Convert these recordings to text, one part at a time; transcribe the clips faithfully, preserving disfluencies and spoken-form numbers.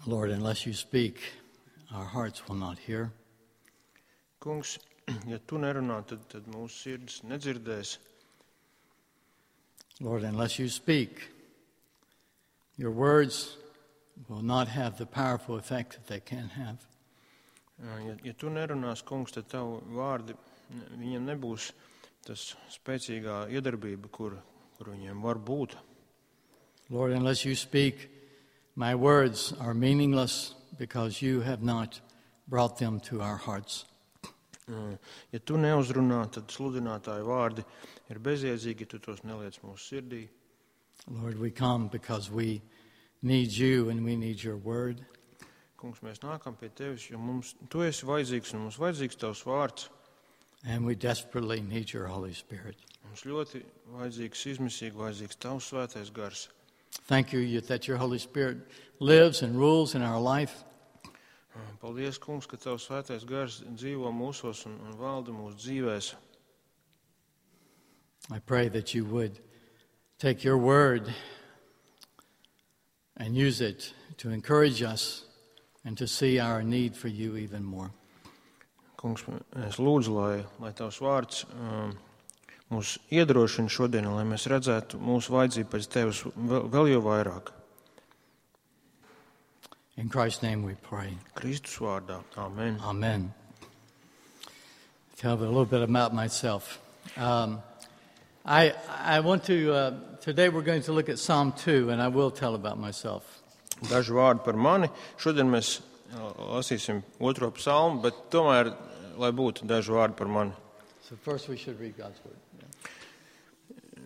Lord, unless you speak, our hearts will not hear. Kungs, ja tu nerunā, tad, tad mūsu sirds nedzirdēs. Lord, unless you speak, your words will not have the powerful effect that they can have. Ja, ja tu nerunās, kungs, tad tavu vārdi, viņiem nebūs tas spēcīgā iedarbība, kur, kur viņiem var būt. Lord, unless you speak, my words are meaningless because you have not brought them to our hearts. Ja tu neuzrunā, tad sludinātāju vārdi ir bezjēdzīgi, tu tos neliec mūsu sirdī. Lord, we come because we need you and we need your word. Kungs, mēs nākam pie tevis, jo mums tu esi vajadzīgs un mums vajadzīgs tavs vārds. And we desperately need your Holy Spirit. Mums ļoti vajadzīgs, izmisīgi vajadzīgs tavs svētais gars. Thank you that your Holy Spirit lives and rules in our life. Paldies, kungs, ka tavs svētais gars dzīvo mūsos un, un valda mūsu dzīvēs. I pray that you would take your word and use it to encourage us and to see our need for you even more. Kungs, es lūdzu, lai, lai tavs vārds um, mūs iedrošina šodien, lai mēs redzētu mūsu vajadzību pēc tevis vēl, vēl jau vairāk. In Christ's name we pray. Kristus vārdā. Amen. Amen. Tell a little bit about myself. Um, I I want to, uh, today we're going to look at Psalm two, and I will tell about myself. Daži vārdi par mani. Šodien mēs lasīsim otro psalmu, bet tomēr, lai būtu daži vārdi par mani. So first we should read God's word. Yeah.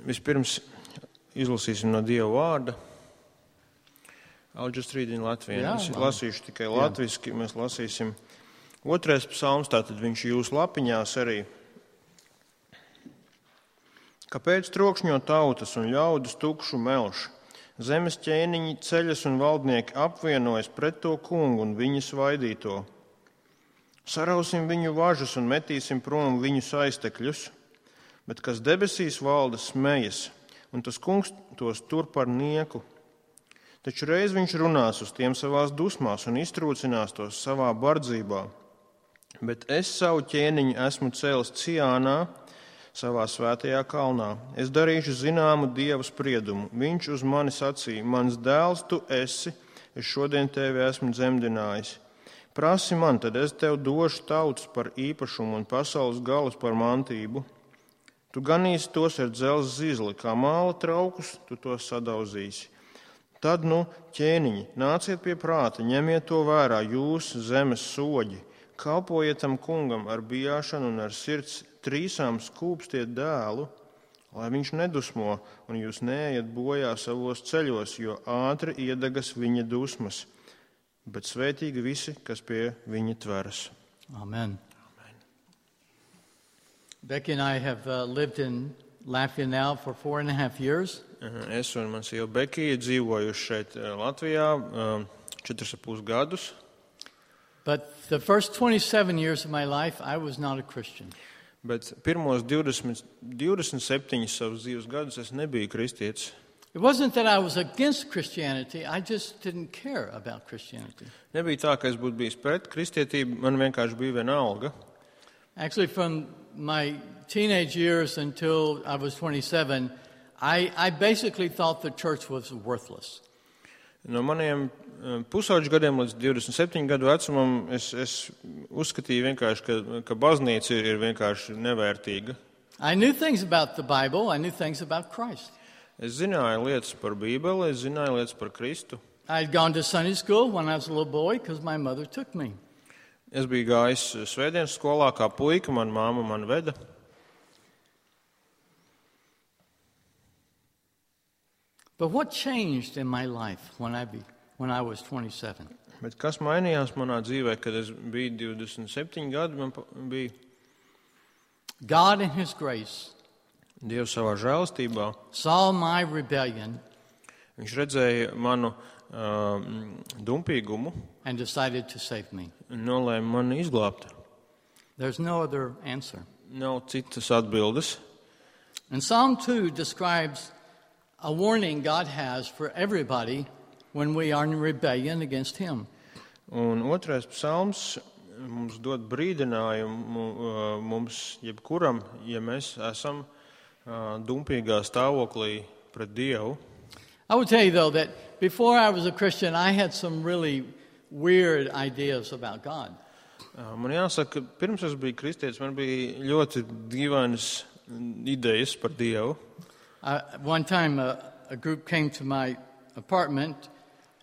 Vispirms izlasīsim no Dieva vārda. I'll just read in Latvian. Jā, es man. lasīšu tikai latviski. Mēs lasīsim otrais psalms, tātad viņš jūsu lapiņās arī. Kāpēc trokšņo tautas un ļaudis tukšu melš? Zemes ķēniņi ceļas un valdnieki apvienojas pret to kungu un viņa svaidīto. Sarausim viņu važas un metīsim prom viņu saistekļus, bet kas debesīs valda smejas, un tas kungs tos tur par nieku. Taču reiz viņš runās uz tiem savās dusmās un iztrūcinās tos savā bardzībā. Bet es savu ķēniņu esmu cēlis Ciānā, savā svētajā kalnā. Es darīšu zināmu Dieva spriedumu. Viņš uz mani sacīja, mans dēls tu esi, es šodien tevi esmu dzemdinājis. Prasi man, tad es tev došu tautas par īpašumu un pasaules galus par mantību. Tu ganīsi tos ar dzelzs zizli, kā māla traukus, tu tos sadauzīsi. Tad, nu, ķēniņi, nāciet pie prāta, ņemiet to vērā, jūs zemes soģi, kalpojiet tam kungam ar bijāšanu un ar sirds trīsām skūpstiet dēlu, lai viņš nedusmo un jūs neejat bojā savos ceļos, jo ātri iedegas viņa dusmas, bet svētīgi visi, kas pie viņa tveras. Amen. Amen. Becky and I have uh, lived in Latvia now for four and a half years. Es un mans sieva Bekija dzīvojuši šeit Latvijā četrus ar pus gadus. But the first twenty-seven years of my life, I was not a Christian. Bet pirmos divdesmit, divdesmit septiņus savus dzīves gadus es nebiju kristietis. It wasn't that I was against Christianity, I just didn't care about Christianity. Nebija tā, ka es būtu bijis pret kristietību, man vienkārši bija vienalga. Actually, from my teenage years until I was twenty-seven, I, I basically thought the church was worthless. No maniem pusauģu gadiem līdz divdesmit septiņu gadu vecumam es, es uzskatīju vienkārši, ka, ka baznīca ir, ir vienkārši nevērtīga. I knew things about the Bible, I knew things about Christ. Es zināju lietas par Bībeli, es zināju lietas par Kristu. I had gone to Sunday school when I was a little boy because my mother took me. Es biju gājis svētdienas skolā kā puika, man māma man veda. But what changed in my life when I be, when I was twenty-seven? Bet kas mainījās manā dzīvē, kad es biju divdesmit septiņi gadi, man bija God in His grace Dievs savā žēlastībā. saw my rebellion Viņš redzēja manu uh, dumpīgumu and decided to save me. un nolēma mani izglābt. There's no other answer. Nav citas atbildes. And Psalm two describes a warning God has for everybody when we are in rebellion against Him. Un otrais psalms mums dod brīdinājumu mums jebkuram, ja mēs esam dumpīgā stāvoklī pret Dievu. I would tell you, though, that before I was a Christian, I had some really weird ideas about God. Man jāsaka, ka pirms es biju kristietis, man bija ļoti dīvainas idejas par Dievu. Uh, one time, uh, a group came to my apartment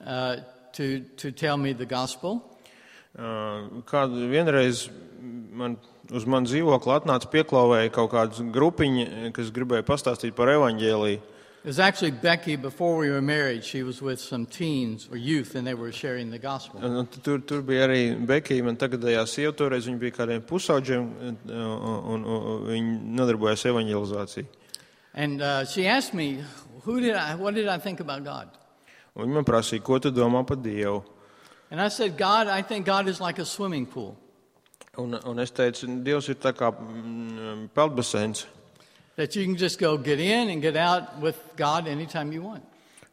uh, to to tell me the gospel. Uh, kādu vienreiz man uz manu dzīvokli atnāca pieklauvēja kaut kāda grupiņa, kas gribēja pastāstīt par evaņģēliju. It was actually Becky, before we were married. She was with some teens or youth, and they were sharing the gospel. Un tur, tur bija arī Becky, man tagadējā sieva, toreiz viņa bija kādiem pusauģiem, un, un, un viņa nodarbojās evaņģelizāciju. And uh, she asked me, "Who did I? What did I think about God?" Un viņa man prasīja, ko tu domā par Dievu? And I said, "God, I think God is like a swimming pool." Un, un es teicu, Dievs ir tā kā mm, peldbaseins. That you can just go get in and get out with God anytime you want.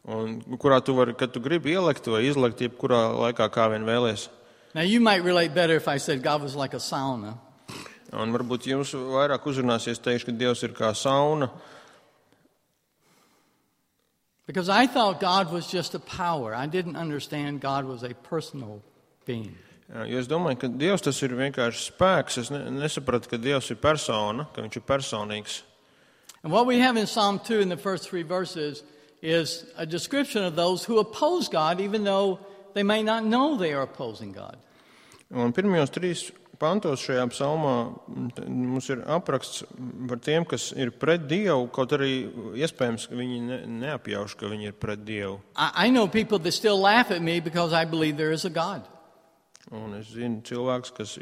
Un kurā tu vari, kad tu gribi ielekt vai izlekt, jebkurā laikā kā vien vēlies. Now you might relate better if I said God was like a sauna. Un varbūt jums vairāk uzrunāsies teikšu, ka Dievs ir kā sauna. Because I thought God was just a power. I didn't understand God was a personal being. Jo es domāju, ka Dievs tas ir vienkārši spēks. Es ne, nesapratu, ka Dievs ir persona, ka viņš ir personīgs. And what we have in Psalm two in the first three verses is a description of those who oppose God, even though they may not know they are opposing God. Un pirmajos trīs pantos šajā psalmā mums ir apraksts par tiem, kas ir pret Dievu, kaut arī iespējams, ka viņi ne, neapjauš, ka viņi ir pret Dievu. I, I know people that still laugh at me because I believe there is a God. Un es zinu cilvēks, kas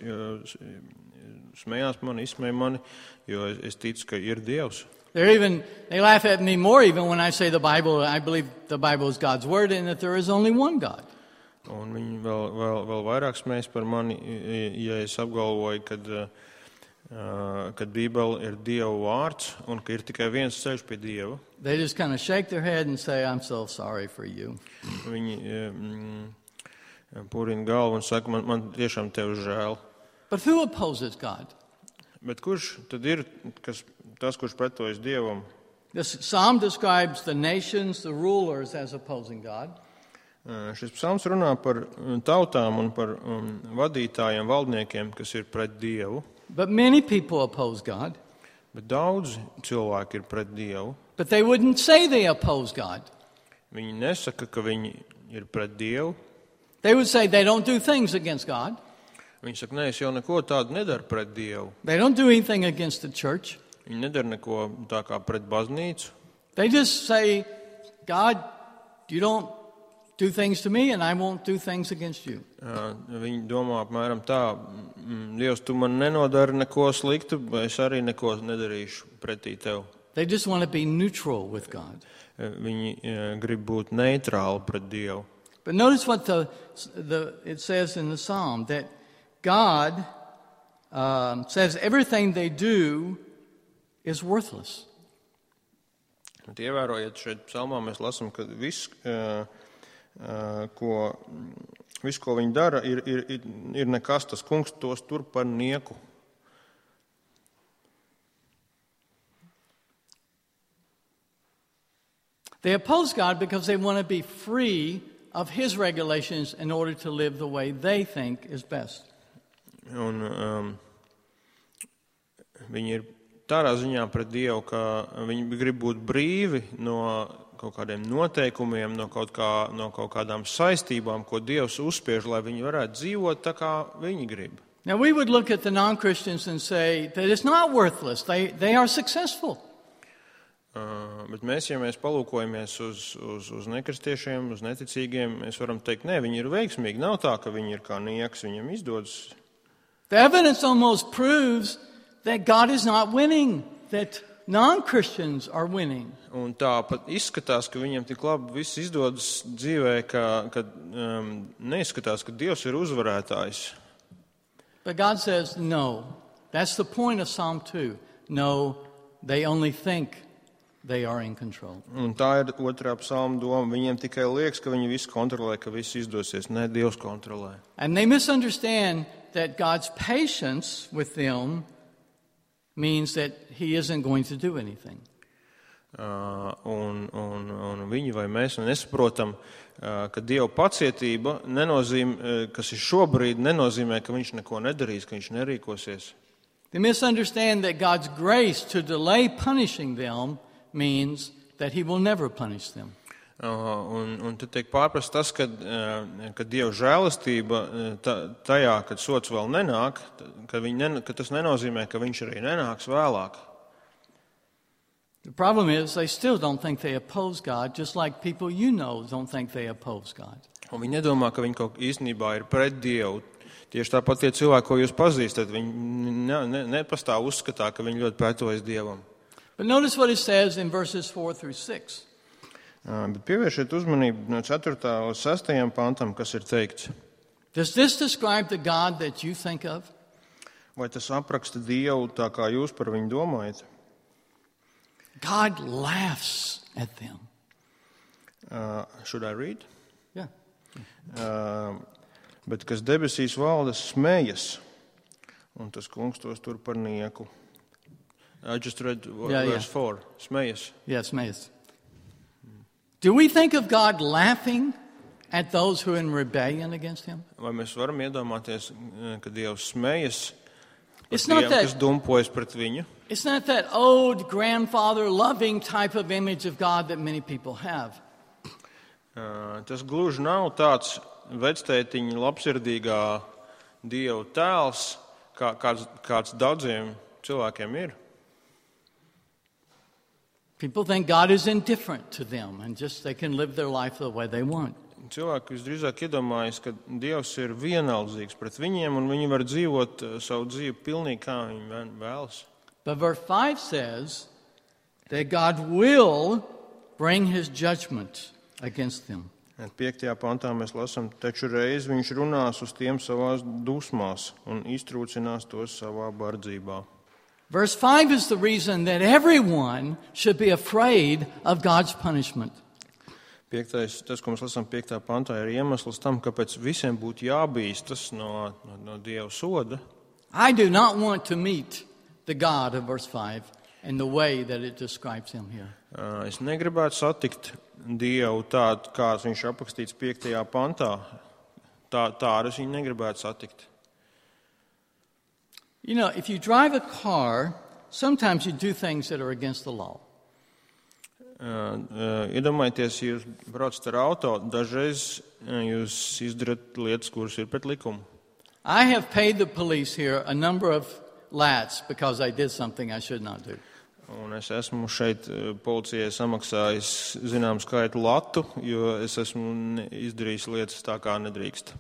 smējās mani, izsmēja mani, jo es ticu, ka ir Dievs. They're even, they laugh at me more even when I say the Bible, I believe the Bible is God's word and that there is only one God. Un viņi vēl, vēl, vēl vairāk smējas par mani, ja es apgalvoju, kad, uh, kad Bībele ir Dieva vārds un ka ir tikai viens ceļš pie Dieva. They just kind of shake their head and say, I'm so sorry for you. Viņi um, purina galvu un saka, man, man tiešām tev žēl. But who opposes God? Bet kurš tad ir kas, tas, kurš pretojas Dievam? This psalm describes the nations, the rulers, as opposing God. Uh, šis psalms runā par tautām un par um, vadītājiem, valdniekiem, kas ir pret Dievu. But many people oppose God. Bet daudz cilvēki ir pret Dievu. But they wouldn't say they oppose God. Viņi nesaka, ka viņi ir pret Dievu. They would say they don't do things against God. Viņi saka, nē, es jau neko tādu nedaru pret Dievu. They don't do anything against the church. Viņi nedara neko tā kā pret baznīcu. They just say, God, you don't do things to me and I won't do things against you. Uh, viņi domā apmēram tā, Dievs, tu man nenodari neko sliktu, es arī neko nedarīšu pretī tev. They just want to be neutral with God. Uh, viņi uh, grib būt neitrāli pret Dievu. But notice what the, the it says in the psalm, that God um, says everything they do is worthless. Bet ievērojiet, šeit psalmā mēs lasām, ka viss, uh, uh, ko, viss, ko viņi dara, ir, ir, ir, ir nekas, tas kungs tos tur par nieku. They oppose God because they want to be free of His regulations in order to live the way they think is best. Un um, viņi ir tādā ziņā pret Dievu, ka viņi grib būt brīvi no kaut kādiem noteikumiem, no kaut, kā, no kaut kādām saistībām, ko Dievs uzspiež, lai viņi varētu dzīvot tā, kā viņi grib. Now we would look at the non-Christians and say that it's not worthless. They, they are successful. Uh, bet mēs, ja mēs palūkojamies uz, uz, uz nekristiešiem, uz neticīgiem, mēs varam teikt, nē, viņi ir veiksmīgi. Nav tā, ka viņi ir kā nieks, viņam izdodas. The evidence almost proves that God is not winning, that non-Christians are winning. Un tā pat izskatās, ka viņam tik labi viss izdodas dzīvē, ka, ka um, neizskatās, ka Dievs ir uzvarētājs. But God says, no. That's the point of Psalm two. No, they only think they are in control. Un tā ir otrā psalma doma. Viņiem tikai liekas, ka viņi visu kontrolē, ka viss izdosies. Nē, Dievs kontrolē. And they misunderstand that God's patience with them means that he isn't going to do anything. Uh, un, un, un viņi vai mēs nesaprotam, uh, ka Dieva pacietība nenozīmē, uh, kas ir šobrīd, nenozīmē, ka viņš neko nedarīs, ka viņš nerīkosies. They misunderstand that God's grace to delay punishing them means that he will never punish them. Uh, un, un tad tiek pārprast tas, ka, uh, ka Dieva žēlastība uh, tajā, kad sots vēl nenāk, ka, nen, ka tas nenozīmē, ka viņš arī nenāks vēlāk. The problem is they still don't think they oppose God, just like people you know don't think they oppose God. Un viņi nedomā, ka viņi kaut īstenībā ir pret Dievu. Tieši tāpat tie cilvēki, ko jūs pazīstat, viņi ne, ne, nepastāv uzskatā, ka viņi ļoti pretojas Dievam. But notice what it says in verses four through six. Uh, bet pievēršiet uzmanību no ceturtā līdz sestajam pantam, kas ir teikts. Does this describe the God that you think of? Vai tas apraksta Dievu tā, kā jūs par viņu domājat? God laughs at them. Uh, should I read? Yeah. Uh, bet kas debesīs valda smējas, un tas kungs tos tur par nieku. I just read Yeah, verse yeah. four. Smējas. Yes, Mays. Do we think of God laughing at those who are in rebellion against him? Vai mēs varam iedomāties, ka Dievs smējas par It's not tiem, that- kas dumpojas pret viņu? It's not that old grandfather loving type of image of God that many people have. Uh, tas gluži nav tāds vectētiņa labsirdīgā Dieva tēls, kā, kāds, kāds daudziem cilvēkiem ir. People think God is indifferent to them and just they can live their life the way they want. Cilvēki visdrīzāk iedomājas, ka Dievs ir vienaldzīgs pret viņiem, un viņi var dzīvot uh, savu dzīvi pilnīgi kā viņi vē- vēlas. But verse five says that God will bring his judgment against them. Piektajā pantā mēs lasām, taču reiz viņš runās uz tiem savās dusmās un iztrūcinās tos savā bardzībā. Verse five is the reason that everyone should be afraid of God's punishment. Piektais, tas, ko mēs lasām piektā pantā, ir iemesls tam, kāpēc visiem būtu jābīstas no, no, no Dieva soda. I do not want to meet the God of verse five in the way that it describes him here. Uh, Es negribētu satikt Dievu tādu, kāds viņš aprakstīts piektajā pantā. Tā, tādu es viņu negribētu satikt. You know, if you drive a car, sometimes you do things that are against the law. Uh, uh, Iedomājieties, ja jūs braucat ar auto, dažreiz uh, jūs izdarat lietas, kuras ir pret likumu. I have paid the police here a number of lats because I did something I should not do. Un es esmu šeit uh, policijai samaksājis zinām skaitu latu, jo es esmu ne- izdarījis lietas tā, kā nedrīkst.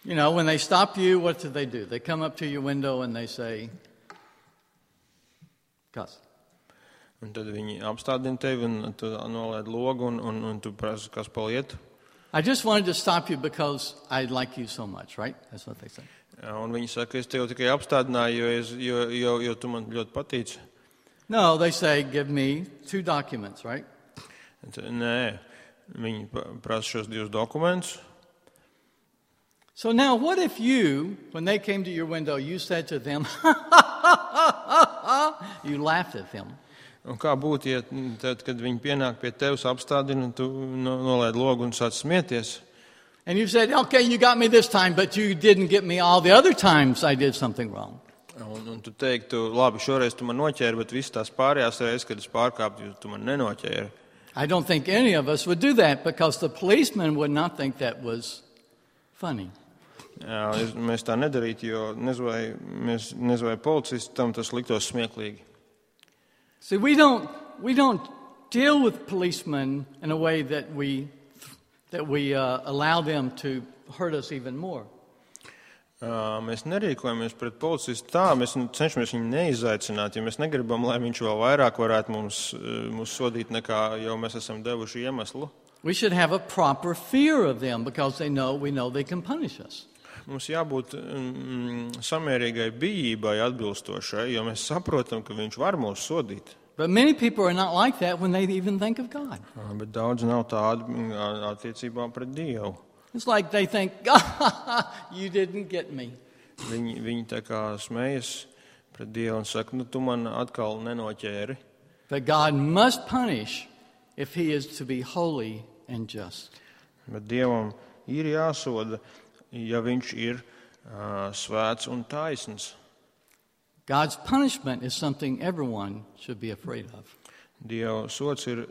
You know, when they stop you, what do they do? They come up to your window and they say, cuss. Un tad viņi apstādina tevi un tu nolaid logu un, un, un tu prasa, kas paliet. I just wanted to stop you because I like you so much, right? That's what they say. Jā, un viņi saka, es tevi tikai apstādināju, jo, es, jo, jo, jo tu man ļoti patīc. No, they say, give me two documents, right? Un tad, nē, viņi pa- prasa šos divus dokumentus. So now, what if you, when they came to your window, you said to them, you laughed at them. Un kā būtu, ja tad, kad viņi pienāk pie tevis, apstādina, un tu no- nolaid logu un sāc smieties? And you said, okay, you got me this time, but you didn't get me all the other times I did something wrong. Un, un tu teiktu, labi, šoreiz tu man noķēri, bet visas tās pārējās reizes, kad es pārkāpju, tu man nenoķēri. I don't think any of us would do that because the policeman would not think that was funny. Jā, es, mēs tā nedarītu, jo nezinu, vai, mēs, nezinu, vai policistam tas liktos smieklīgi. See, we don't, we don't deal with policemen in a way that we, that we uh, allow them to hurt us even more. Uh, mēs nerīkojamies pret policistu tā, mēs cenšamies viņu neizaicināt, jo mēs negribam, lai viņš vēl vairāk varētu mums, uh, mums sodīt, nekā jau mēs esam devuši iemeslu. We should have a proper fear of them because they know, we know they can punish us. Mums jābūt mm, samērīgai bijībai atbilstošai, jo mēs saprotam, ka viņš var mūs sodīt. But many people are not like that when they even think of God. Bet daudz nav tādi attiecībā pret Dievu. It's like they think, God, you didn't get me. Viņi, viņi tā kā smējas pret Dievu un saka, nu tu man atkal nenoķēri. But God must punish if he is to be holy and just. Bet Dievam ir jāsoda, ja viņš ir uh, svēts un taisns. God's punishment is something everyone should be afraid of. Dieva sods ir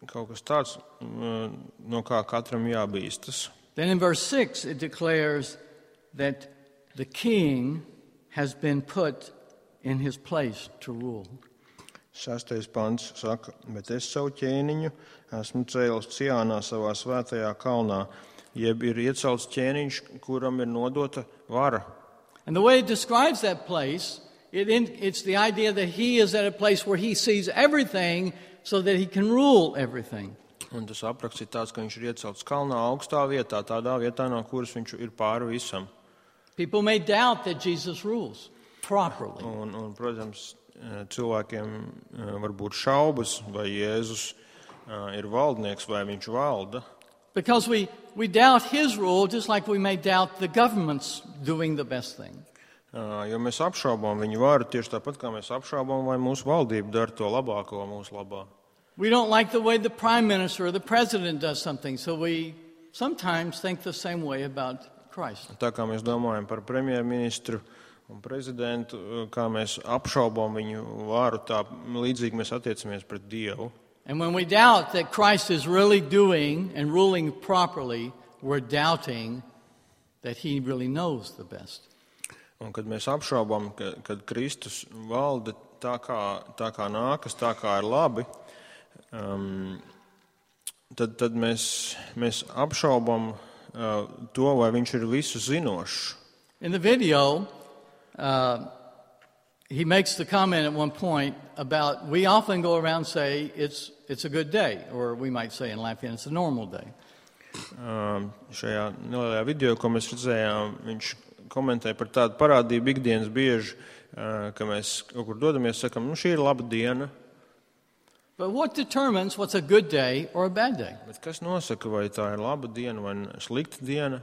kaut kas tāds, uh, no kā katram jābīstas. Then in verse six it declares that the king has been put in his place to rule. Sastais pants saka, bet es savu ķēniņu esmu cēlis Ciānā savā svētajā kalnā, jeb ir iecelts ķēniņš, kuram ir nodota vara. And the way it describes that place, it in, it's the idea that he is at a place where he sees everything so that he can rule everything. Un tas apraksts ir tāds, ka viņš ir iecelts kalnā augstā vietā, tādā vietā, no kuras viņš ir pāri visam. People may doubt that Jesus rules properly. Un, un protams, cilvēkiem var būt šaubas, vai Jēzus ir valdnieks, vai viņš valda. Because we, we doubt his rule just like we may doubt the government's doing the best thing. Jo mēs apšaubām viņu varu tieši tāpat, kā mēs apšaubām, vai mūsu valdība dara to labāko mūsu labā. We don't like the way the prime minister or the president does something, so we sometimes think the same way about Christ. Tā kā mēs domājam par premjerministru un prezidentu, kā mēs apšaubām viņu varu, tā līdzīgi mēs attiecamies pret Dievu. And when we doubt that Christ is really doing and ruling properly, we're doubting that he really knows the best. Un kad mēs apšaubām, ka, kad Kristus valda tā kā, tā kā nākas, tā kā ir labi, um, tad, tad mēs, mēs apšaubām uh, to, vai viņš ir visu zinošs. In the video, uh, he makes the comment at one point about, we often go around and say, it's, it's a good day, or we might say in Latvian, it's a normal day. Um, šajā nelielajā video, ko mēs redzējām, viņš komentē par tādu parādību ikdienas bieži, uh, ka mēs kaut kur dodamies, sakam, nu šī ir laba diena. But what determines what's a good day or a bad day? Bet kas nosaka, vai tā ir laba diena vai slikta diena?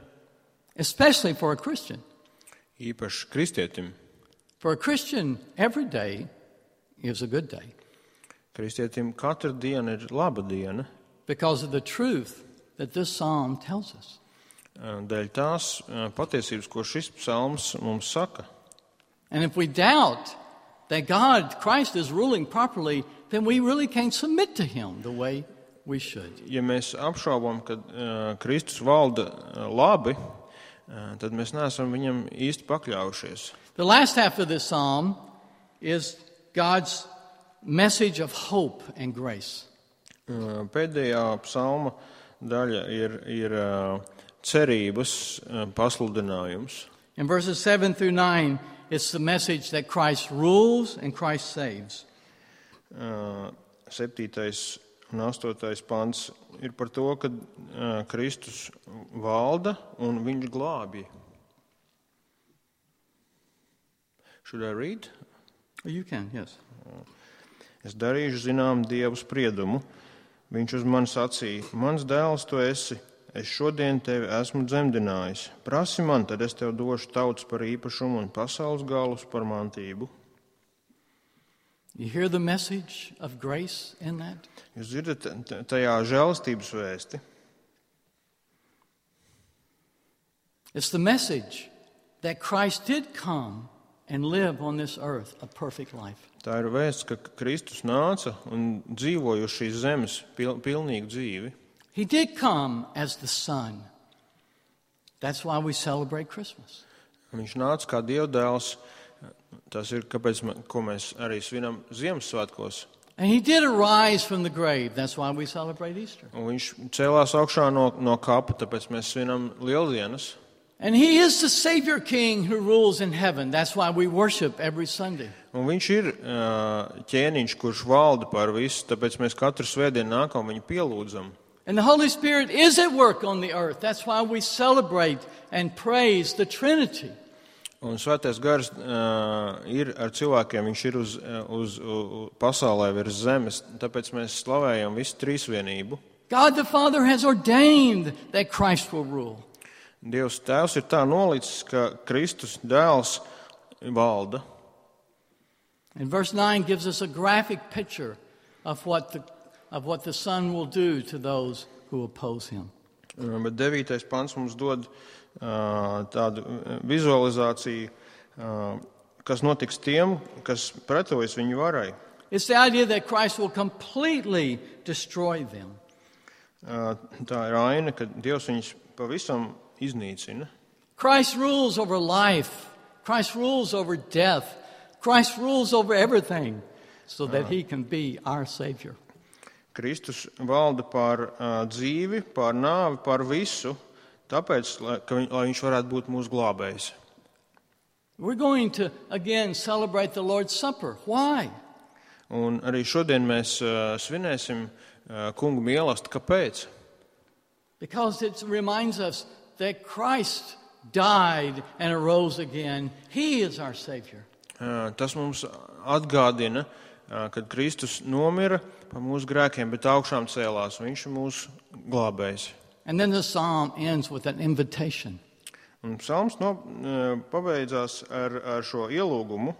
Especially for a Christian. Īpaši kristietim. For a Christian, every day is a good day. Kristietim katra diena ir laba diena. Because of the truth that this psalm tells us. Dēļ tās patiesības, ko šis psalms mums saka. And if we doubt that God, Christ is ruling properly, then we really can't submit to him the way we should. Ja mēs apšaubām, ka uh, Kristus valda uh, labi, uh, tad mēs neesam viņam īsti pakļaujušies. The last half of this psalm is God's message of hope and grace. Uh, pēdējā psalma daļa ir, ir uh, cerības uh, pasludinājums. In verses seven through nine, it's the message that Christ rules and Christ saves. Uh, septītais un astotais pants ir par to, ka uh, Kristus valda un viņš glābj. Should I read? Oh, you can, yes. Es darīšu zinām Dievu spriedumu. Viņš uz mani sacīja, mans dēls tu esi, es šodien tevi esmu dzemdinājis. Prasi man, tad es tev došu tautas par īpašumu un pasaules galus par mantību. You hear the message of grace in that? Jūs dzirdat tajā žēlastības vēsti? It's the message that Christ did come and live on this earth a perfect life. Tā ir vēsts, ka Kristus nāca un dzīvoja uz šīs zemes pil, pilnīgu dzīvi. He did come as the Son. That's why we celebrate Christmas. Viņš nāca kā Dievdēls. Tas ir, kāpēc, ko mēs arī svinam Ziemassvētkos. And he did arise from the grave. That's why we celebrate Easter. Un viņš cēlās augšā no, no kapa, tāpēc mēs svinam Lieldienas. And he is the Savior King who rules in heaven. That's why we worship every Sunday. Un viņš ir uh, ķēniņš, kurš valda par visu, tāpēc mēs katru svētdienu nākam viņu pielūdzam. And the Holy Spirit is at work on the earth. That's why we celebrate and praise the Trinity. Un Svētais Gars uh, ir ar cilvēkiem, viņš ir uz, uz, uz pasaulē virs zemes, tāpēc mēs slavējam visu trīsvienību. God the Father has ordained that Christ will rule. Dievs Tēvs ir tā nolicis, ka Kristus dēls valda. And verse nine gives us a graphic picture of what the, of what the Son will do to those who oppose him. Bet devītais pants mums dod uh, tādu vizualizāciju, uh, kas notiks tiem, kas pretojas viņu varai. It's the idea that Christ will completely destroy them. Uh, tā ir aina, ka Dievs viņus pavisam iznīcina. Christ rules over life. Christ rules over death. Christ rules over everything so that he can be our Savior. Kristus valda pār uh, dzīvi, pār nāvi, pār visu, tāpēc, lai, ka viņ, lai viņš varētu būt mūsu glābējs. We're going to, again, celebrate the Lord's Supper. Why? Un arī šodien mēs uh, svinēsim uh, kungu mīlestību. Kāpēc? Because it reminds us that Christ died and arose again. He is our Savior. Uh, tas mums atgādina, uh, kad Kristus nomira par mūsu grēkiem, bet augšām cēlās. Viņš ir mūsu glābējs. And then the psalm ends with an invitation. Un psalms no, uh, pabeidzās ar, ar šo ielūgumu.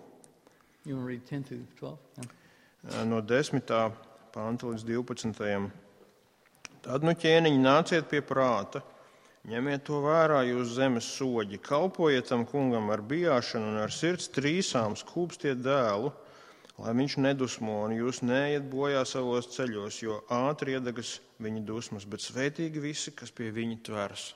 You want to read ten through twelve? Yeah. Uh, no desmitā panta līdz divpadsmitajam. Tad nu ķēniņi nāciet pie prāta, ņemiet to vērā jūs zemes soģi, kalpojiet tam kungam ar bijāšanu un ar sirds trīsām skūpstiet dēlu, lai viņš nedusmo un jūs neiet bojā savos ceļos, jo ātri iedegas viņa dusmas, bet svētīgi visi, kas pie viņa tveras.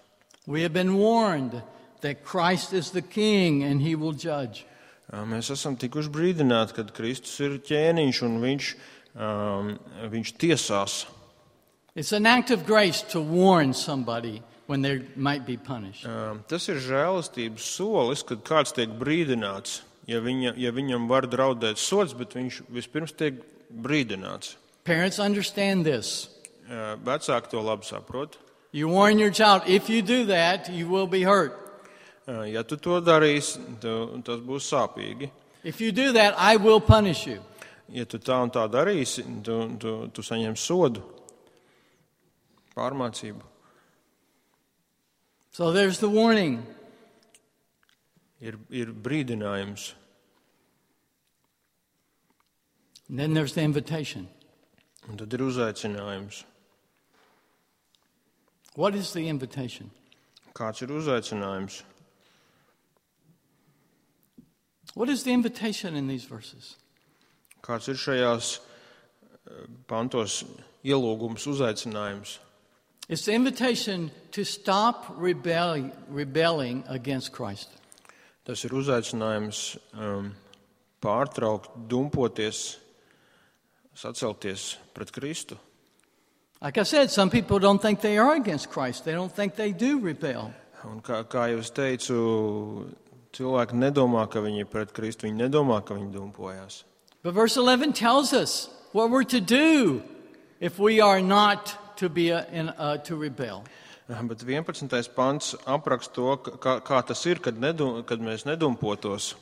We have been warned that Christ is the King and he will judge. Mēs esam tikuši brīdināti, kad Kristus ir ķēniņš un viņš, um, viņš tiesās. It's an act of grace to warn somebody when they might be punished. Um, tas ir žēlastības solis, kad kāds tiek brīdināts, ja, viņa, ja viņam var draudēt sods, bet viņš vispirms tiek brīdināts. Parents understand this. Uh, vecāki to labi saprot. You warn your child, if you do that, you will be hurt. Uh, ja tu to darīsi, tu, tas būs sāpīgi. If you do that, I will punish you. Ja tu tā un tā darīsi, tu, tu, tu saņem sodu, pārmācību. So there's the warning. Ir, ir brīdinājums. And then there's the invitation. Un tad ir uzaicinājums. What is the invitation? Kāds ir uzaicinājums? What is the invitation in these verses? Kāds ir šajās pantos ielūgums, uzaicinājums? It's the invitation to stop rebelling, rebelling against Christ. Tas ir uzaicinājums um, pārtraukt, dumpoties, sacelties pret Kristu. Like I said, some people don't think they are against Christ. They don't think they do rebel. Un kā, kā jau es teicu, cilvēki nedomā, ka viņi ir pret Kristu, viņi nedomā, ka viņi dumpojās. But verse eleven tells us what we're to do if we are not to be a, in, uh, to rebel. Bet vienpadsmitais pants apraksta to, kā, kā tas ir, kad, nedum, kad mēs nedumpotos.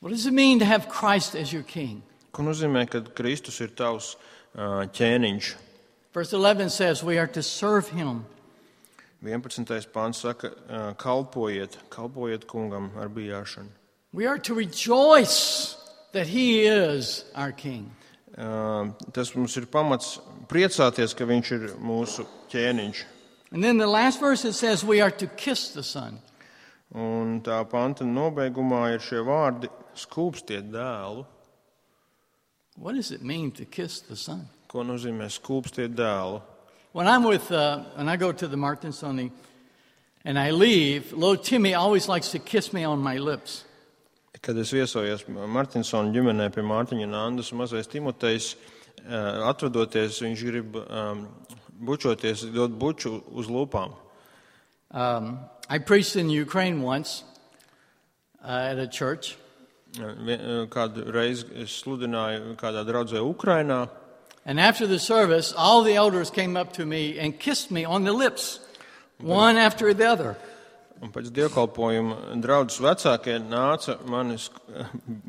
What does it mean to have Christ as your king? Ko nozīmē, kad Kristus ir tavs uh, ķēniņš? Verse eleven says we are to serve him. vienpadsmitais pants saka, uh, kalpojiet, kalpojiet kungam ar bijāšanu. We are to rejoice that he is our king. Uh, tas mums ir pamats priecāties, ka viņš ir mūsu ķēniņš. And then the last verse it says we are to kiss the Son. Un tā panta nobeigumā ir šie vārdi skūpstiet dēlu. What does it mean to kiss the Son? Ko nozīmē skūpstiet dēlu? When I'm with, uh, when I go to the Martinsoni and I leave, little Timmy always likes to kiss me on my lips. Kad es viesojos Martinsona ģimenē pie Mārtiņa un Andas, mazais Timotejs, atvadoties, viņš grib um, bučoties, dot buču uz lūpām. Um, I preached in Ukraine once uh, at a church. Kādu reizi es sludināju kādā draudzē Ukrainā. And after the service, all the elders came up to me and kissed me on the lips, one after the other. Un pēc dievkalpojuma draudzes vecākie nāca manis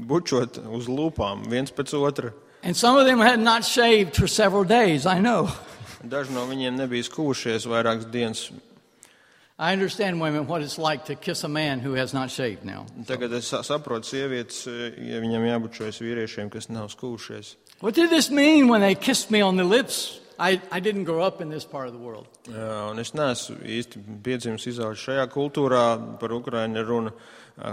bučot uz lūpām viens pēc otra. And some of them had not shaved for several days, I know. Daži no viņiem nebija skūšies vairākas dienas. I understand women what it's like to kiss a man who has not shaved now. Tagad es saprotu sievietes, ja viņam jābučojas vīriešiem, kas nav skūšies. What did this mean when they kissed me on the lips? I, I didn't grow up in this part of the world. Jā, un es neesmu īsti piedzimis izaudzis šajā kultūrā, par Ukrainu runa.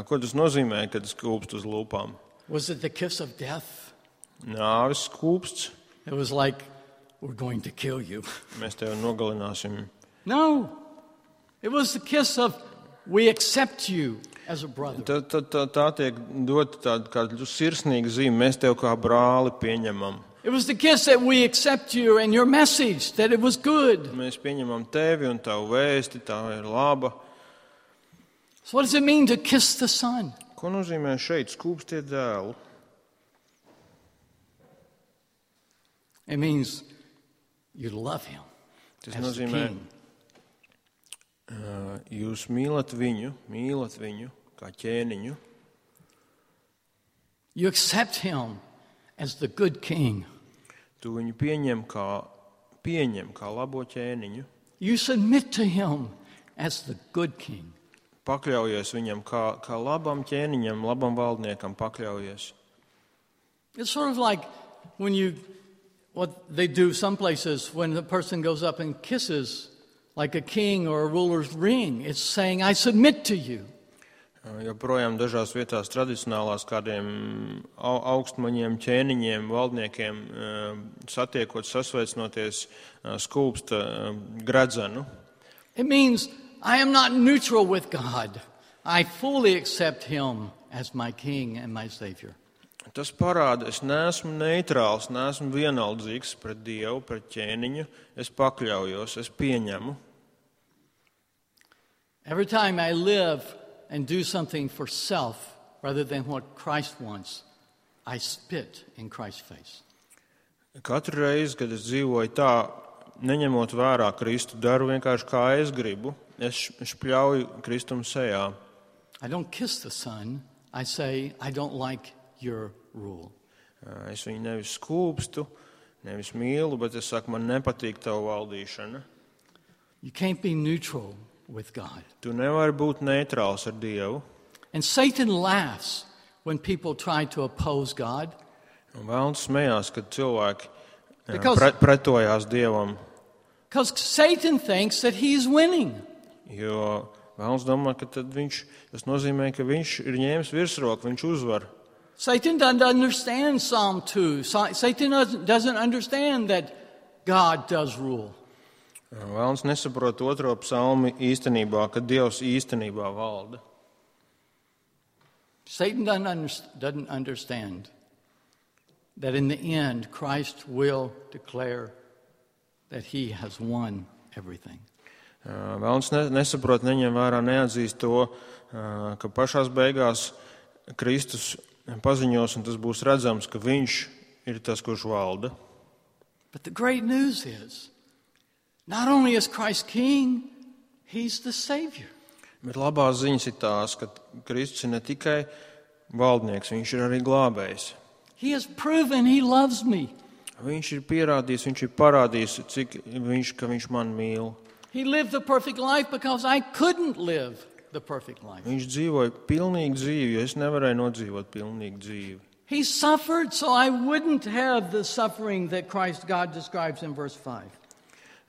Ko tas nozīmē, kad skūpst uz lūpām? Was it the kiss of death? Nāves skūpsts. It was like, we're going to kill you. Mēs tevi nogalināsim. No. It was the kiss of, we accept you as a brother. Tā, tā, tā, tā tiek dota tāda kā sirsnīga zīme. Mēs tevi kā brāli pieņemam. It was the kiss that we accept you and your message, that it was good. Mēs pieņemam tevi un tavu vēsti, tā ir laba. So what does it mean to kiss the Son? Ko nozīmē šeit skūpstiet dēlu? It means you love him Tas as the nozīmē, king. uh, jūs mīlat viņu, mīlat viņu kā ķēniņu. You accept him as the good king. Tu viņu pieņem kā, pieņem kā labo ķēniņu. You submit to him as the good king. Pakļaujies viņam kā, kā labam ķēniņam, labam valdniekam pakļaujies. It's sort of like when you, what they do some places when the person goes up and kisses like a king or a ruler's ring. It's saying, I submit to you. Joprojām dažās vietās tradicionālās kādiem au, augstmaņiem, ķēniņiem, valdniekiem satiekot, sasveicinoties, skūpsta gredzenu. It means I am not neutral with God. I fully accept him as my king and my savior. Tas parāda, es neesmu neitrāls, neesmu vienaldzīgs pret Dievu, pret ķēniņu. Es pakļaujos, es pieņemu. Every time I live and do something for self rather than what Christ wants, I spit in Christ's face. Katru reizi, kad es dzīvoju tā, neņemot vērā Kristu, daru vienkārši kā es gribu, es špļauju Kristum sejā. I don't kiss the Son. I say, I don't like your rule. Es viņu nevis skūpstu, nevis mīlu, bet es saku, man nepatīk tavu valdīšana. You can't be neutral with God. Tu nevari būt neitrāls ar Dievu. And Satan laughs when people try to oppose God. Un Velns smējās, kad cilvēki Because- pre, pretojās Dievam, Because Satan thinks that he's winning. jo Velns domā, ka tad viņš, tas nozīmē, ka viņš ir ņēmis virsroku, viņš uzvar. Satan doesn't understand Psalm two. Sa- Satan doesn't- doesn't understand that God does rule. Velns nesaprot otro psalmu īstenībā, ka Dievs īstenībā valda. Satan doesn't, under, doesn't understand that in the end, Christ will declare that he has won everything. Velns nesaprot, neņem vērā, neatzīst to, ka pašās beigās Kristus paziņos, un tas būs redzams, ka viņš ir tas, kurš valda. But the great news is, not only is Christ king, he's the Savior. Bet labās ziņas ir tās, ka Kristus ir ne tikai valdnieks, viņš ir arī glābējs. He has proven he loves me. Viņš ir pierādījis, viņš ir parādījis, cik viņš, ka viņš man mīl. He lived the perfect life because I couldn't live the perfect life. Viņš dzīvoja pilnīgu dzīvi, jo es nevarēju nodzīvot pilnīgu dzīvi. He suffered so I wouldn't have the suffering that Christ God describes in verse five.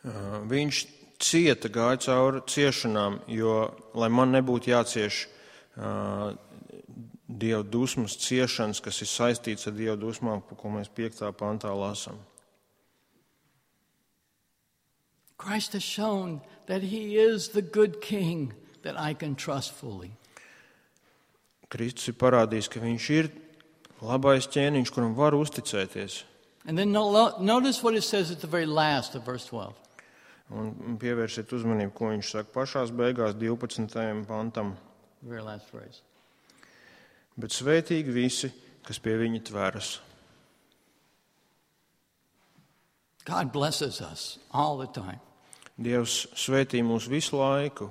Uh, viņš cieta, gāja cauri ciešanām, jo, lai man nebūtu jācieš uh, Dieva dusmas ciešanas, kas ir saistīts ar Dieva dusmām, ko mēs piektā pantā lasām. Christ has shown that he is the good king that I can trust fully. Kristus ir parādījis, ka viņš ir labais ķēniņš, kuram var uzticēties. And then no- notice what it says at the very last of verse twelve. Un pievērsiet uzmanību, ko viņš saka pašās beigās divpadsmitajam pantam. The very last phrase. Bet svētīgi visi, kas pie viņa tveras. God blesses us all the time. Dievs svētī mūs visu laiku.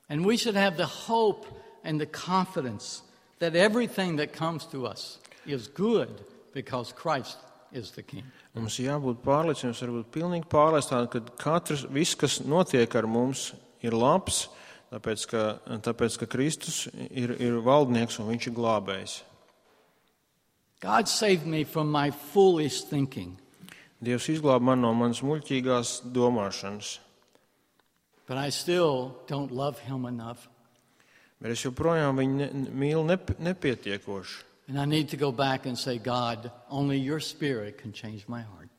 And we should have the hope and the confidence that everything that comes to us is good because Christ is the King. Mums jābūt pārliecināts, varbūt pilnīgi pārliecināts, ka katrs, viss, kas notiek ar mums, ir labs, tāpēc, ka, tāpēc, ka Kristus ir, ir valdnieks un viņš ir glābējs. God saved me from my foolish thinking. Dievs izglāb man no manas muļķīgās domāšanas. But I still don't love him enough. Bet es joprojām viņu ne, mīlu nep, nepietiekoši. And I need to go back and say, God, only your spirit can change my heart.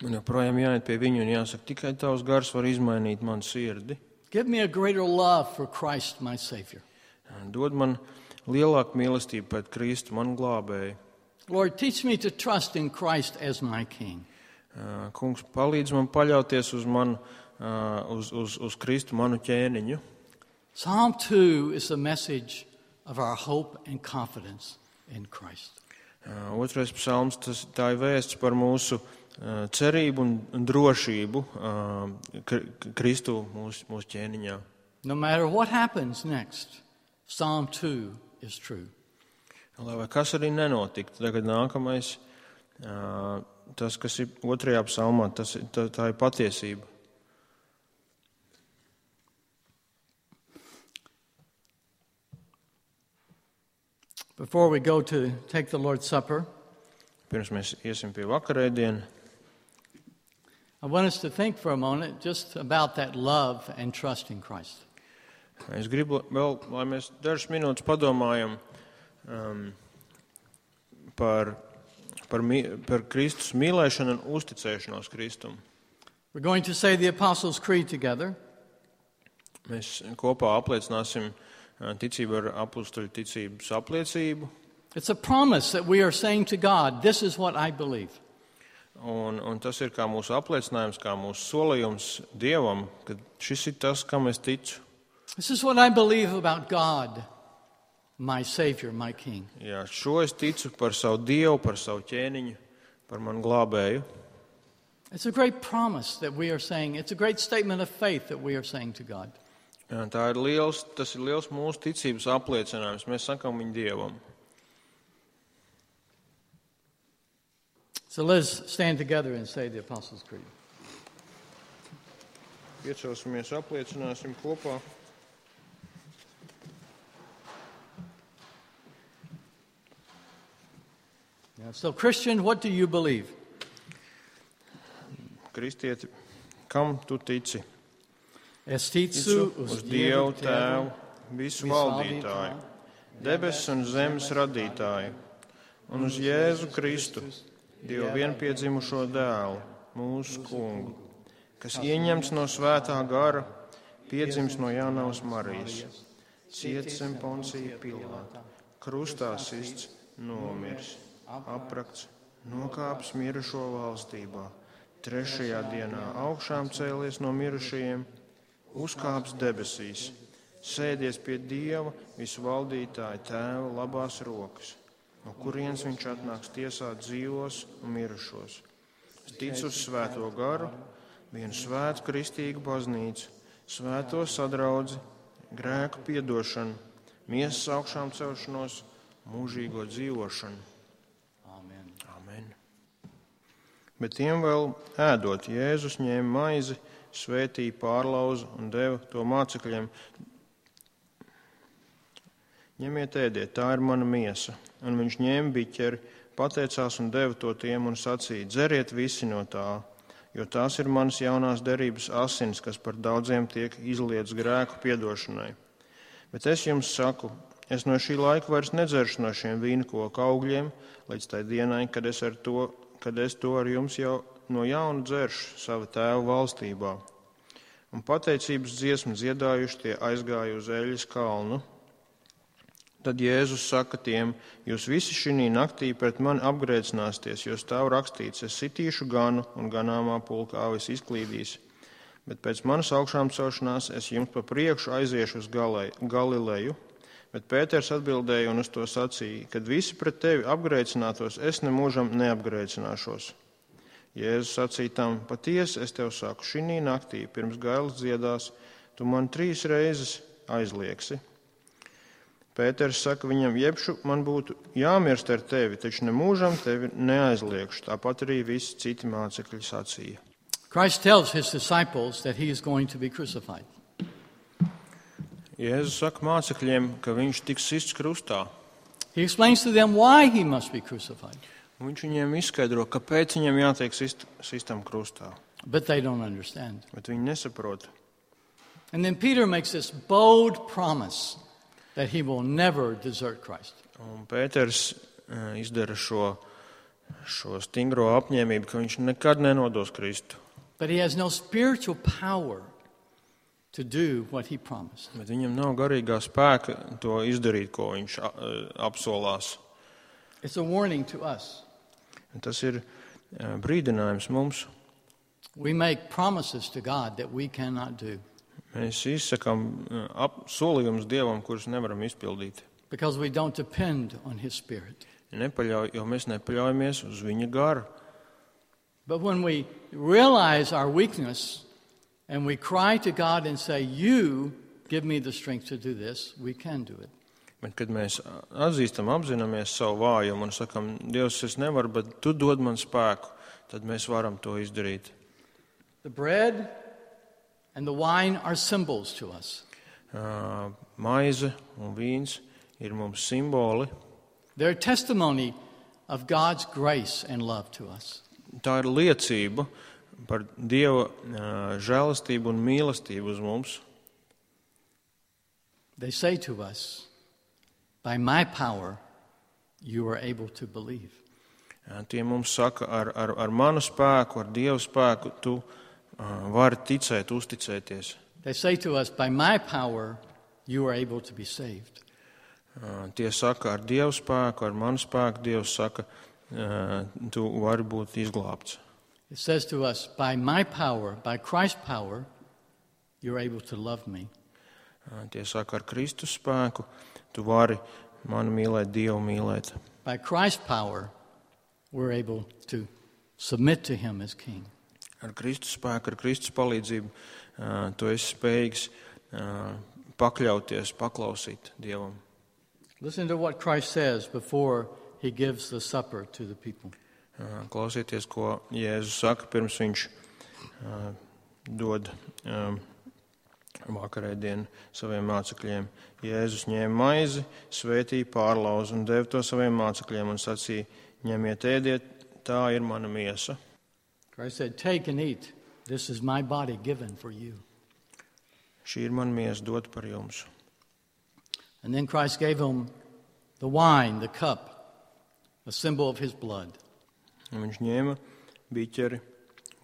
Un joprojām jāiet pie viņu un jāsaka, tikai tavs gars var izmainīt manu sirdi. Give me a greater love for Christ, my Savior. Dod man lielāku mīlestību pēc Kristu, manu glābēju. Lord, teach me to trust in Christ as my King. Kungs, palīdz man paļauties uz, manu, uz, uz, uz Kristu, manu ķēniņu. Psalm two is a message of our hope and confidence in Christ. Otrais psalms, tas, tā ir vēsts par mūsu cerību un drošību Kristu mūsu, mūsu ķēniņā. No matter what happens next, Psalm two is true. Lai vai kas arī nenotiktu, tagad nākamais, tas, kas ir otrajā psalmā, tas, tā, tā ir patiesība. Before we go to take the Lord's Supper, pirms mēs iesim pie vakarēdiena, I want us to think for a moment just about that love and trust in Christ. Es gribu vēl, lai mēs dažas minūtes padomājam um, par, par, par Kristus mīlēšanu un uzticēšanos Kristum. We're going to say the Apostles' Creed together. Mēs kopā apliecināsim ticību ar apustuļu ticības apliecību. It's a promise that we are saying to God, this is what I believe. Un, un tas ir kā mūsu apliecinājums, kā mūsu solījums Dievam, ka šis ir tas, kam es ticu. This is what I believe about God, my Savior, my King. Jā, šo es ticu par savu Dievu, par savu ķēniņu, par manu glābēju. It's a great promise that we are saying. It's a great statement of faith that we are saying to God. Jā, tā ir liels, tas ir liels mūsu ticības apliecinājums. Mēs sakām viņu Dievam. So let's stand together and say the Apostles' Creed. Iecelsimies, apliecināsim kopā. Yeah, so Christian, what do you believe? Kristieti, kam tu tici? Es ticu uz Dievu Tēvu, visu valdītāju, debesis un zemes radītāju, un uz Jēzu Kristu, Dievu vienpiedzimušo dēlu, mūsu kungu, kas ieņemts no svētā gara, piedzims no Jānavas Marijas, ciets zem Poncija Pilāta, krustā sists, nomirs, aprakts, nokāpis mirušo valstībā, trešajā dienā augšām cēlies no mirušajiem, uzkāps debesīs, sēdies pie Dieva visu valdītāja Tēva labās rokas, no kurienes viņš atnāks tiesāt dzīvos un mirušos. Es ticu uz svēto garu, vienu svētu kristīgu baznīcu, svēto sadraudzi, grēku piedošanu, miesas augšām celšanos, mūžīgo dzīvošanu. Amen. Amen. Bet tiem vēl ēdot, Jēzus ņēma maizi, svētīja, pārlauza un deva to mācekļiem. Ņemiet, ēdiet, tā ir mana miesa. Un viņš ņēma biķeri, pateicās un deva to tiem un sacīja, dzeriet visi no tā, jo tās ir manas jaunās derības asins, kas par daudziem tiek izlietas grēku piedošanai. Bet es jums saku, es no šī laika vairs nedzeršu no šiem vīnkoku augļiem, līdz tai dienai, kad es, ar to, kad es to ar jums jau no jauna dzeršu sava Tēva valstībā. Un pateicības dziesmu dziedājuši tie aizgāja uz Eļas kalnu. Tad Jēzus saka tiem, jūs visi šī naktī pret mani apgrēcināsties, jo stāv rakstīts, es sitīšu ganu un ganāmā pulka avis izklīdīs. Bet pēc manas augšām celšanās es jums pa priekšu aiziešu uz Galileju. Bet Pēters atbildēja un uz to sacīja, kad visi pret tevi apgrēcinātos, es nemūžam neapgrēcināšos. Jēzus sacīja tam, patiesi es tev saku, šī naktī pirms gailas dziedās, tu man trīs reizes aizliegsi. Pēters saka viņam, jebšu man būtu jāmirst ar tevi, taču nemūžam tevi neaizliegšu. Tāpat arī visi citi mācekļi sacīja. Christ tells his disciples that he is going to be crucified. Jēzus saka mācekļiem, ka viņš tiks sists krustā. He explains to them why he must be crucified. Un viņš viņiem izskaidro, kāpēc viņam jātiek sist, sistam krustā. But they don't understand. Bet viņi nesaprot. And then Peter makes this bold promise that he will never desert Christ. Un Pēters uh, izdara šo, šo stingro apņēmību, ka viņš nekad nenodos Kristu. But he has no spiritual power to do what he promised. Bet viņam nav garīgā spēka to izdarīt, ko viņš uh, apsolās. It's a warning to us. Un tas ir uh, brīdinājums mums. We make promises to God that we cannot do. Mēs izsakām uh, solījumus Dievam, kurus nevaram izpildīt. Because we don't depend on his spirit. Nepaļauj, jo mēs nepaļaujamies uz viņa garu. But when we realize our weakness and we cry to God and say, you give me the strength to do this, we can do it. Bet, kad mēs atzīstam, apzināmies savu vājumu un sakam, Dievs, es nevaru, bet tu dod man spēku, tad mēs varam to izdarīt. The bread and the wine are symbols to us. Uh, maize un vīns ir mums simboli. They're testimony of God's grace and love to us. Tā ir liecība par Dieva uh, žēlastību un mīlestību uz mums. They say to us, by my power, you are able to believe. Uh, tie mums saka, ar, ar, ar manu spēku, ar Dieva spēku, tu uh, vari ticēt, uzticēties. They say to us, by my power, you are able to be saved. Uh, tie saka, ar Dieva spēku, ar manu spēku, Dievs saka, uh, tu vari būt izglābts. It says to us, by my power, by Christ's power, you're able to love me. Uh, tie saka, ar Kristus spēku, tu vari mani mīlēt, Dievu mīlēt. By Christ's power, we're able to submit to him as king. Ar Kristus spēku, ar Kristus palīdzību, uh, tu esi spējīgs uh, pakļauties, paklausīt Dievam. Listen to what Christ says before he gives the supper to the people. Uh, klausieties, ko Jēzus saka, pirms viņš uh, dod uh, vakarēdienu saviem mācekļiem. Jēzus ņēma maizi, svētīja, pārlauza un deva to saviem mācekļiem un sacīja, ņemiet, ēdiet, tā ir mana miesa. Christ said, take and eat. This is my body given for you. Šī ir mana miesa dot par jums. And then Christ gave him the wine, the cup, a symbol of his blood. Un viņš ņēma biķeri,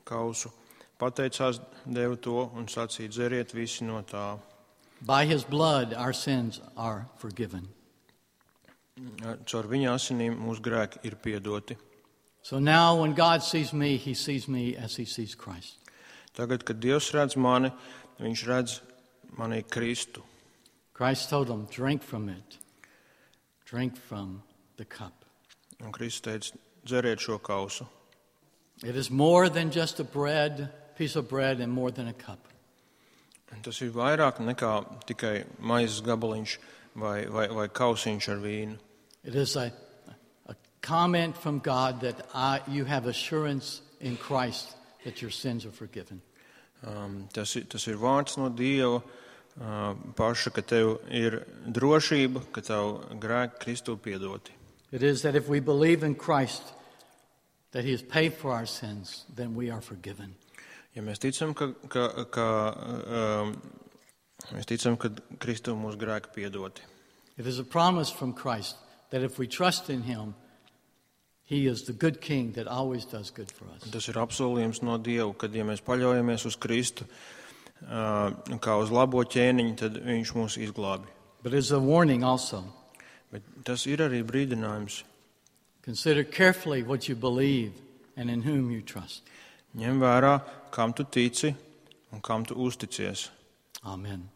kausu, pateicās, deva to un sacīja, dzeriet visi no tā. By his blood our sins are forgiven. Caur viņa asinīm mūsu grēki ir piedoti. So now when God sees me, he sees me as he sees Christ. Tagad, kad Dievs redz mani, viņš redz manī Kristu. Christ told him, drink from it. Drink from the cup. Un Kristus teica, dzeriet šo kausu. It is more than just a bread, piece of bread and more than a cup. Un tas ir vairāk nekā tikai maizes gabaliņš vai, vai, vai kausiņš ar vīnu. It is a, a comment from God that I, you have assurance in Christ that your sins are forgiven. Um, tas, ir, tas ir vārds no Dieva uh, paša, ka tev ir drošība, ka tev grēki Kristu piedoti. It is that if we believe in Christ, that he has paid for our sins, then we are forgiven. Ja mēs ticam, ka, ka, ka, um, mēs ticam, ka Kristu mūsu grēki piedoti. It is a promise from Christ that if we trust in him, he is the good king that always does good for us. Tas ir apsolījums no Dieva, kad ja mēs paļaujamies uz Kristu uh, kā uz labo ķēniņu, tad viņš mūs izglābi. But it is a warning also. Bet tas ir arī brīdinājums. Consider carefully what you believe and in whom you trust. Ņem vērā, kam tu tici un kam tu uzticies. Amen.